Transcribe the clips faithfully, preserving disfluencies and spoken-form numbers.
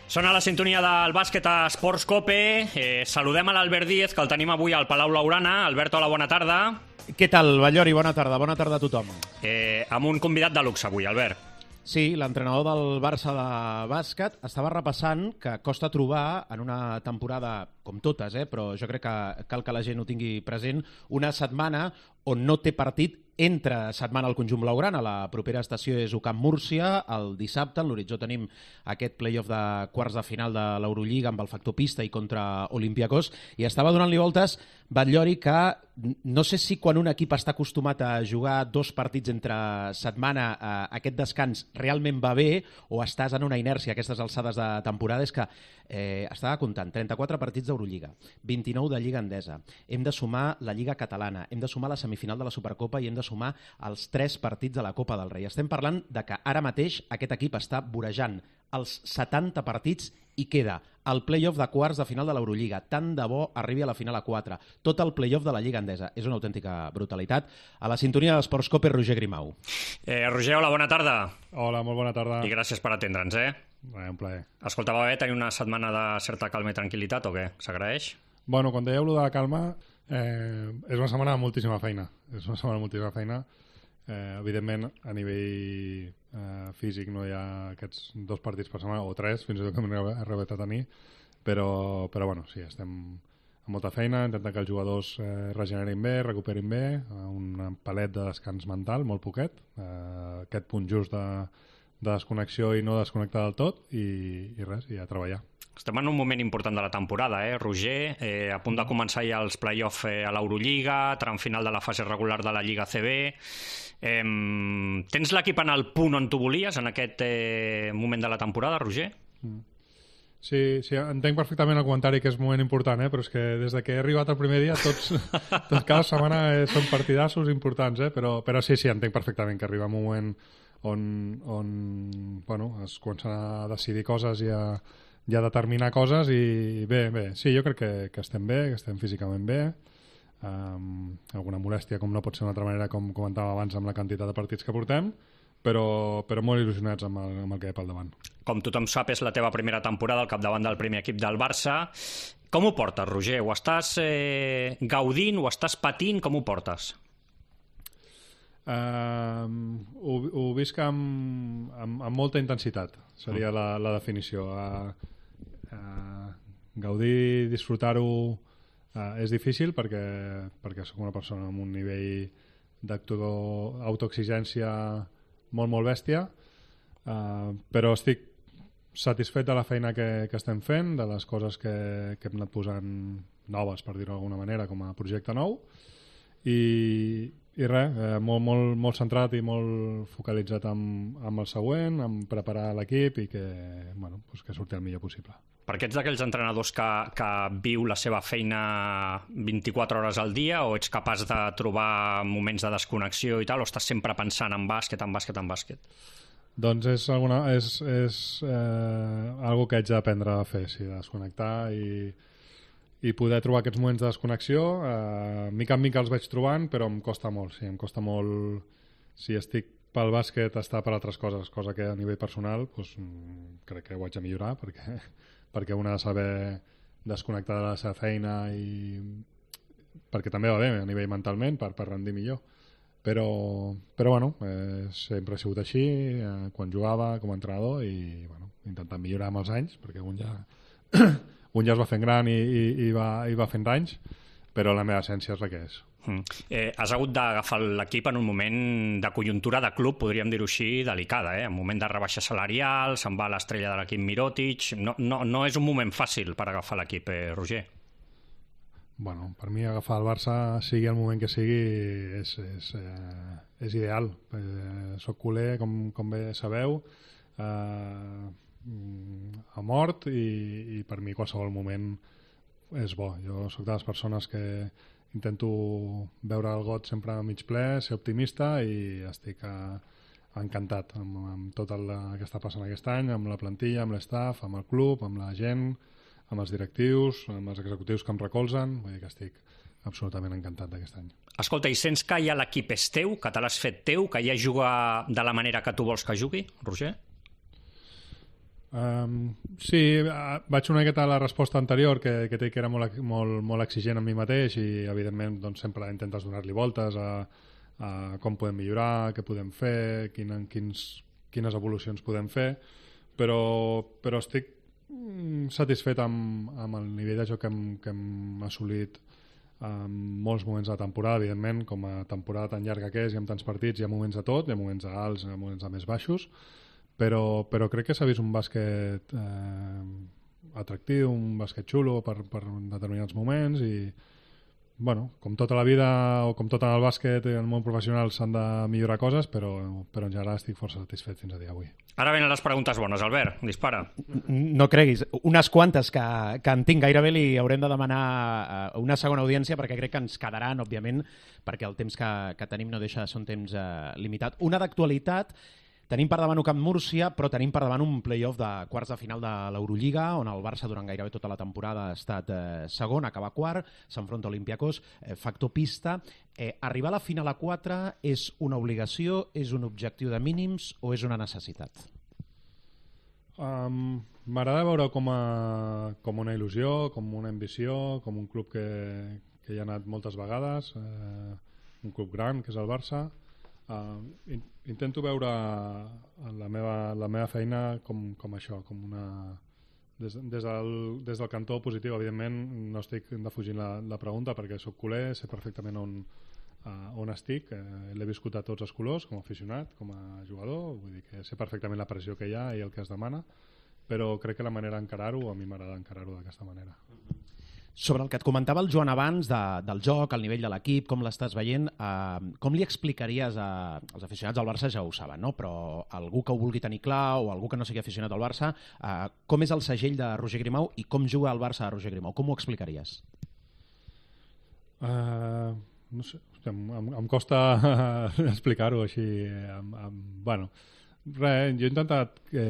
Són a la sintonia del bàsquet a Esports Cope. Eh, saludem a l'Albert Díez, que el tenim avui al Palau Blaugrana. Albert, hola, bona tarda. Què tal, Ballori? Bona tarda. Bona tarda a tothom. Eh, amb un convidat de luxe avui, Albert. Sí, l'entrenador del Barça de bàsquet estava repassant que costa trobar en una temporada, com totes, eh, però jo crec que cal que la gent ho tingui present, una setmana on no té partit entre setmana al conjunt blaugrana. La propera estació és U Camp Múrcia. El dissabte, en l'horitzó, tenim aquest play-off de quarts de final de l'Eurolliga amb el factor pista i contra Olympiacos. I estava donant-li voltes, Batllori, que no sé si quan un equip està acostumat a jugar dos partits entre setmana, eh, aquest descans realment va bé o estàs en una inèrcia a aquestes alçades de temporada. És que eh, estava comptant trenta-quatre partits d'Eurolliga, vint-i-nou de Lliga Endesa. Hem de sumar la Lliga Catalana, hem de sumar la semifinal de la Supercopa i hem de sumar els tres partits de la Copa del Rei. Estem parlant de que ara mateix aquest equip està vorejant els setanta partits i queda el play-off de quarts de final de l'Eurolliga. Tant de bo arribi a la final a quatre. Tot el play-off de la Lliga Endesa. És una autèntica brutalitat. A la sintonia d'Esports Cope, Roger Grimau. Eh, Roger, hola, bona tarda. Hola, molt bona tarda. I gràcies per atendre'ns, eh? Bé, un plaer. Escolta, va bé tenir una setmana de certa calma i tranquil·litat o què? S'agraeix? Bueno, quan dèieu allò de la calma, eh, és una setmana de moltíssima feina. És una setmana de moltíssima feina. Eh, evidentment, a nivell eh, físic no hi ha aquests dos partits per setmana, o tres, fins i tot que m'he arribat a tenir, però, però bueno, sí, estem amb molta feina, intentant que els jugadors eh, regenerin bé, recuperin bé, un palet de descans mental, molt poquet, eh, aquest punt just de, de desconnexió i no desconnectar del tot, i, i res, i a treballar. Estem en un moment important de la temporada, eh, Roger? Eh, a punt de començar ja els play-off eh, a l'Eurolliga, tram final de la fase regular de la Lliga A C B. Eh, tens l'equip en el punt on tu volies en aquest eh, moment de la temporada, Roger? Mm. Sí, sí, entenc perfectament el comentari que és un moment important, eh? Però és que des de que he arribat el primer dia tots, tots cada setmana eh, són partidassos importants, eh? però, però sí, sí, entenc perfectament que arriba un moment on, on bueno, es comencen a decidir coses i a, i a determinar coses i bé, bé, sí, jo crec que, que estem bé, que estem físicament bé, um, alguna molèstia com no pot ser d'una altra manera, com comentàvem abans amb la quantitat de partits que portem, però, però molt il·lusionats amb el, amb el que hi ha pel davant. Com tothom sap, és la teva primera temporada al capdavant del primer equip del Barça. Com ho portes, Roger? Ho estàs eh, gaudint? Ho estàs patint? Com ho portes? Uh, ho, ho visc amb, amb, amb molta intensitat, seria la, la definició. Uh, uh, gaudir, disfrutar-ho uh, és difícil perquè, perquè soc una persona amb un nivell d'autoexigència molt, molt bèstia, uh, però estic satisfet de la feina que, que estem fent, de les coses que, que hem anat posant noves, per dir-ho d'alguna manera, com a projecte nou, i, i res, eh, molt, molt, molt centrat i molt focalitzat amb, amb el següent, amb preparar l'equip i que, bueno, pues que surti el millor possible. Perquè ets d'aquells entrenadors que, que viu la seva feina vint-i-quatre hores al dia o ets capaç de trobar moments de desconnexió i tal, o estàs sempre pensant en bàsquet, en bàsquet, en bàsquet? Doncs és, alguna, és, és eh, algo que haig d'aprendre a fer, sí, desconnectar i, i poder trobar aquests moments de desconnexió. Eh, mica en mica els vaig trobant, però em costa molt, sí, em costa molt, si estic pel bàsquet, estar per altres coses, cosa que a nivell personal doncs, crec que ho haig de millorar, perquè, perquè un ha de saber desconnectar de la seva feina i perquè també va bé a nivell mentalment per, per rendir millor. Però, però bueno, eh, sempre ha sigut així, eh, quan jugava com a entrenador i bueno, intentant millorar amb els anys, perquè un ja, un ja es va fent gran i, i, i, va, i va fent anys, però la meva essència és la que és. Mm. Eh, has hagut d'agafar l'equip en un moment de conjuntura de club, podríem dir-ho així, delicada, eh? Un moment de rebaixa salarial, se'n va l'estrella de l'equip Mirotic, no, no, no és un moment fàcil per agafar l'equip, eh, Roger? Bueno, per mi agafar el Barça, sigui el moment que sigui, és, és, eh, és ideal. Eh, soc culer, com, com bé sabeu, eh, a mort i, i per mi qualsevol moment és bo. Jo soc de les persones que intento veure el got sempre a mig ple, ser optimista i estic a, encantat amb, amb tot el que està passant aquest any, amb la plantilla, amb l'estaff, amb el club, amb la gent, amb els directius, amb els executius que em recolzen, vull dir que estic absolutament encantat d'aquest any. Escolta, i sents que ja l'equip és teu, que te l'has fet teu, que ja juga de la manera que tu vols que jugui, Roger? Um, sí, vaig una miqueta a la resposta anterior, que, que té que era molt, molt, molt exigent amb mi mateix i, evidentment, doncs, sempre intentes donar-li voltes a, a com podem millorar, què podem fer, quin, quins, quines evolucions podem fer, però, però estic satisfet amb, amb el nivell de joc que hem, que hem assolit en molts moments de la temporada. Evidentment, com a temporada tan llarga que és i amb tants partits, hi ha moments de tot, hi ha moments de alts, hi ha moments de més baixos, però, però crec que s'ha vist un bàsquet eh, atractiu, un bàsquet xulo per, per determinats moments i, bueno, com tota la vida o com tot en el bàsquet i en el món professional s'han de millorar coses, però, però en general estic força satisfet fins a dia d'avui. Ara venen les preguntes bones, Albert, dispara. No creguis, unes quantes que, que en tinc, gairebé li haurem de demanar una segona audiència perquè crec que ens quedaran, òbviament, perquè el temps que, que tenim no deixa de ser un temps eh, limitat. Una d'actualitat. Tenim per davant Camp Múrcia, però tenim per davant un play-off de quarts de final de l'Eurolliga, on el Barça durant gairebé tota la temporada ha estat eh, segon, acaba quart, s'enfronta a Olympiacos, eh, factor pista. Eh, arribar a la final a quatre és una obligació, és un objectiu de mínims o és una necessitat? Um, M'agrada veure com, a, com una il·lusió, com una ambició, com un club que, que hi ha anat moltes vegades, eh, un club gran, que és el Barça. Uh, in, intento veure la meva, la meva feina com, com això, com una... Des, des, del, des del cantó positiu, evidentment, no estic defugint la, la pregunta perquè soc culer, sé perfectament on, uh, on estic, eh, l'he viscut a tots els colors, com a aficionat, com a jugador, vull dir que sé perfectament la pressió que hi ha i el que es demana, però crec que la manera d'encarar-ho, a mi m'agrada encarar-ho d'aquesta manera. Sobre el que et comentava el Joan abans de, del joc, el nivell de l'equip, com l'estàs veient, eh, com li explicaries a, als aficionats del Barça, ja ho saben, no? Però algú que ho vulgui tenir clar o algú que no sigui aficionat al Barça, eh, com és el segell de Roger Grimau i com juga el Barça a Roger Grimau? Com ho explicaries? Uh, no sé, em, em, em costa explicar-ho així. Em, em, bueno, res, jo he intentat que,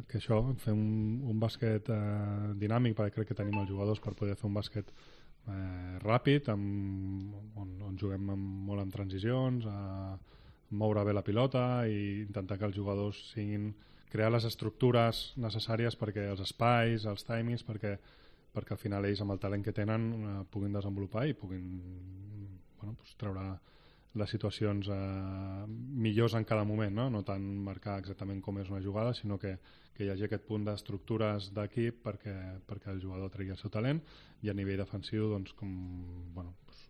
que això, fer un, un bàsquet eh, dinàmic, perquè crec que tenim els jugadors per poder fer un bàsquet eh, ràpid, amb, on, on juguem amb, molt en transicions, a moure bé la pilota i intentar que els jugadors siguin, crear les estructures necessàries perquè els espais, els timings, perquè, perquè al final ells amb el talent que tenen eh, puguin desenvolupar i puguin bueno, pues, treure les situacions eh, millors en cada moment, no? No tant marcar exactament com és una jugada, sinó que, que hi hagi aquest punt d'estructures d'equip perquè, perquè el jugador tregui el seu talent i a nivell defensiu, doncs, com, bueno, doncs,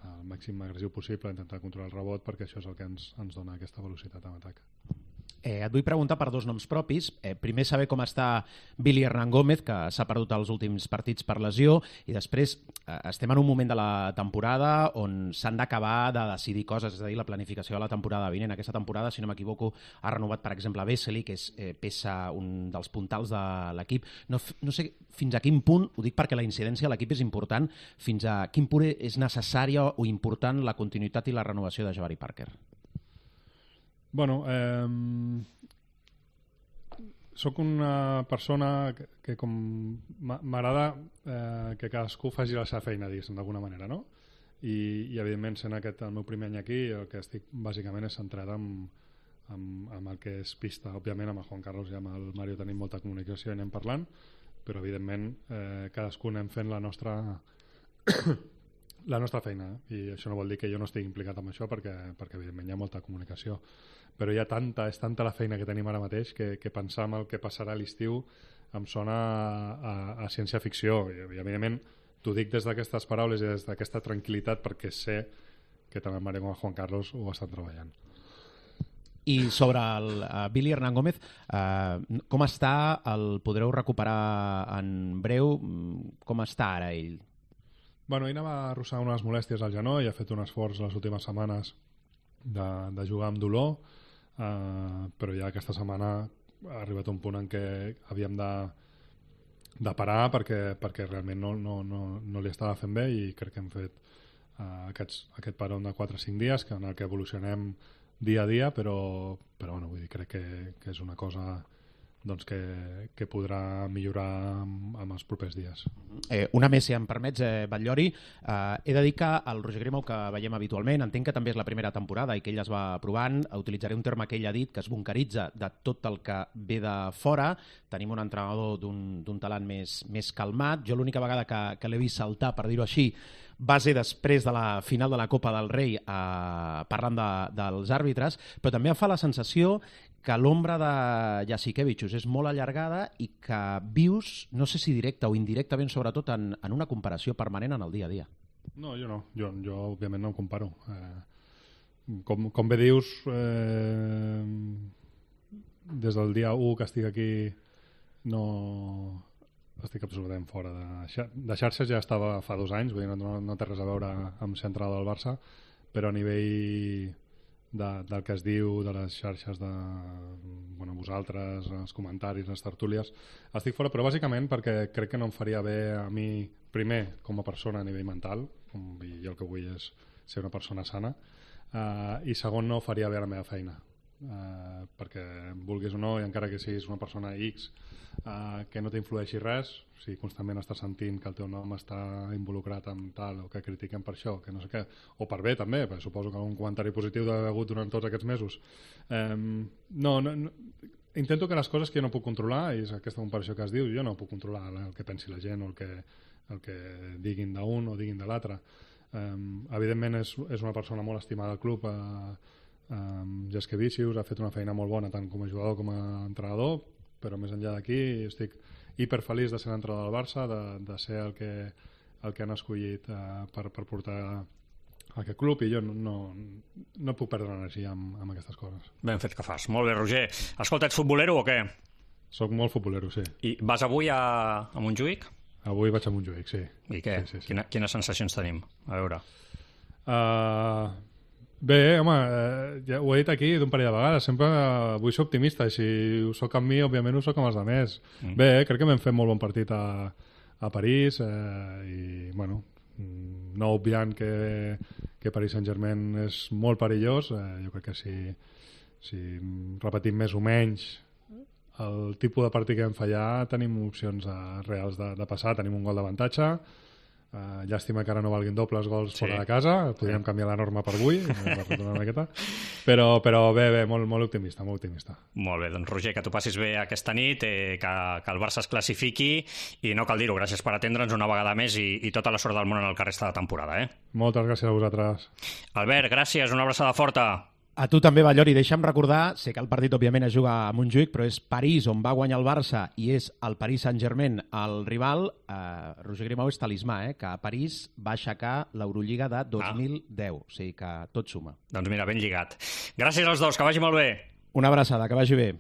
el màxim agressiu possible, intentar controlar el rebot perquè això és el que ens, ens dona aquesta velocitat en atac. Eh, et vull preguntar per dos noms propis. Eh, primer, saber com està Billy Hernán Gómez, que s'ha perdut els últims partits per lesió, i després eh, estem en un moment de la temporada on s'han d'acabar de decidir coses, és a dir, la planificació de la temporada vinent. Aquesta temporada, si no m'equivoco, ha renovat, per exemple, Vesely, que és eh, peça un dels puntals de l'equip. No, no sé fins a quin punt, ho dic perquè la incidència a l'equip és important, fins a quin punt és necessària o important la continuïtat i la renovació de Jabari Parker. Bueno, eh, soc una persona que, que com m'agrada eh, que cadascú faci la seva feina, diguéssim, d'alguna manera, no? I, i evidentment, sent aquest el meu primer any aquí, el que estic bàsicament és centrat en, en, en el que és pista. Òbviament, amb el Juan Carlos i amb el Mario tenim molta comunicació i anem parlant, però evidentment eh, cadascú anem fent la nostra la nostra feina, i això no vol dir que jo no estigui implicat en això perquè, perquè evidentment hi ha molta comunicació, però hi ha tanta, és tanta la feina que tenim ara mateix que, que pensar en el que passarà a l'estiu em sona a, a, a ciència-ficció, i, i evidentment t'ho dic des d'aquestes paraules i des d'aquesta tranquil·litat perquè sé que tant el Mario com el Juan Carlos ho estan treballant. I sobre el uh, Billy Hernán Gómez, uh, com està? El podreu recuperar en breu? Com està ara ell? Bueno, ell anava a arrossegar unes molèsties al genoll, ha fet un esforç les últimes setmanes de, de jugar amb dolor, eh, però ja aquesta setmana ha arribat a un punt en què havíem de, de parar perquè, perquè realment no, no, no, no li estava fent bé, i crec que hem fet eh, aquests, aquest paron de quatre o cinc dies que en el que evolucionem dia a dia, però, però bueno, vull dir, crec que, que és una cosa doncs que, que podrà millorar en, en els propers dies. Eh, una més, si em permets, eh, Batllori. Eh, he de dir que el Roger Grimau que veiem habitualment, entenc que també és la primera temporada i que ell es va provant, utilitzaré un terme que ell ha dit, que es bunkeritza de tot el que ve de fora. Tenim un entrenador d'un talent més, més calmat. Jo l'única vegada que, que l'he vist saltar, per dir-ho així, va ser després de la final de la Copa del Rei, eh, parlant de, dels àrbitres, però també em fa la sensació que l'ombra de Jasikevičius és molt allargada i que vius, no sé si directe o indirectament, sobretot en, en una comparació permanent en el dia a dia. No, jo no. Jo, jo òbviament no em comparo. Eh, com, com bé dius, eh, des del dia u que estic aquí no... estic absolutament fora de, xar de xarxes, ja estava fa dos anys, vull dir, no, no té res a veure amb ser entrenador del Barça, però a nivell de, del que es diu, de les xarxes de bueno, vosaltres, els comentaris, les tertúlies, estic fora, però bàsicament perquè crec que no em faria bé a mi, primer, com a persona a nivell mental, com, i jo el que vull és ser una persona sana, uh, i segon, no faria bé la meva feina, uh, perquè vulguis o no, i encara que siguis una persona X, Uh, que no t'influeixi res, si constantment estàs sentint que el teu nom està involucrat en tal, o que critiquen per això, que no sé què, o per bé també, perquè suposo que un comentari positiu d'haver hagut durant tots aquests mesos. Um, no, no, no, intento que les coses que jo no puc controlar, i és aquesta comparació que es diu, jo no puc controlar el que pensi la gent o el que, el que diguin d'un o diguin de l'altre. Um, evidentment és, és una persona molt estimada al club, uh, um, Jasikevičius ha fet una feina molt bona tant com a jugador com a entrenador, però més enllà d'aquí estic hiperfeliç de ser l'entrenador del Barça, de, de ser el que, el que han escollit uh, per, per portar a aquest club, i jo no, no, no puc perdre l'energia amb, amb aquestes coses. Ben fet que fas. Molt bé, Roger. Escolta, ets futbolero o què? Soc molt futbolero, sí. I vas avui a, a Montjuïc? Avui vaig a Montjuïc, sí. I què? Sí, sí, sí. Quina, quines sensacions tenim? A veure... Uh... Bé, home, eh, ja ho he dit aquí d'un parell de vegades, sempre eh, vull ser optimista, i si ho soc amb mi, òbviament ho soc amb els altres. Mm. Bé, crec que m'hem fet molt bon partit a, a París, eh, i, bueno, no obviant que, que Paris Saint-Germain és molt perillós, eh, jo crec que si, si repetim més o menys el tipus de partit que vam fallar, tenim opcions eh, reals de, de passar, tenim un gol d'avantatge. Uh, llàstima que ara no valguin dobles gols sí. fora de casa, podríem sí. canviar la norma per avui, per una miqueta, però, però bé, bé, molt, molt optimista, molt optimista. Molt bé, doncs Roger, que tu passis bé aquesta nit, eh, que, que el Barça es classifiqui, i no cal dir-ho, gràcies per atendre'ns una vegada més i, i tota la sort del món en el que resta de temporada. Eh? Moltes gràcies a vosaltres. Albert, gràcies, una abraçada forta. A tu també, Batllori. Deixa'm recordar, sé que el partit òbviament es juga a Montjuïc, però és París on va guanyar el Barça i és el Paris Saint-Germain el rival. Eh, Roger Grimau és talismà, eh, que a París va aixecar l'Eurolliga de dos mil deu, ah. o sigui que tot suma. Doncs mira, ben lligat. Gràcies als dos, que vagi molt bé. Una abraçada, que vagi bé.